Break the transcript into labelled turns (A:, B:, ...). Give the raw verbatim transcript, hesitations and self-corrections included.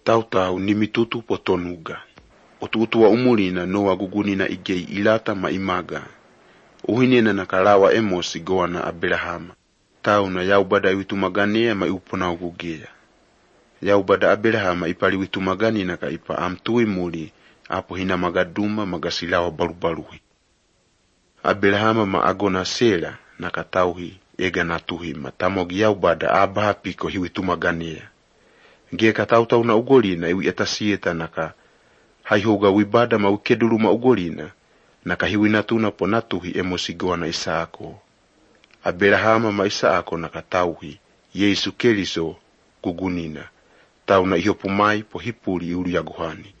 A: Tau-tau ni mitutu po tonuga. O tuutua umulina noa gugunina igei ilata ma imaga. Uhinena na kalawa emosi goana Abrahama. Tau na yaubada iwitumagania ma iupona ugugea. Yaubada Abrahama ipali witumagani na ka ipa amtui muli apo hina magaduma magasilawa barubaruhi. Abrahama ma agona Sela na katauhi ega natuhi matamogi yaubada abaha piko hiwitumagania. Ngie katau-tau na ugolina iwi etasieta naka haihoga wibada ma ukedulu ma ugolina naka hiwi natuna po natuhi emosigoa na Isaako. Abrahama ma Isaako naka tauhi Yesu Keriso kugunina tau na ihopumai po hipuli uli yaguhani.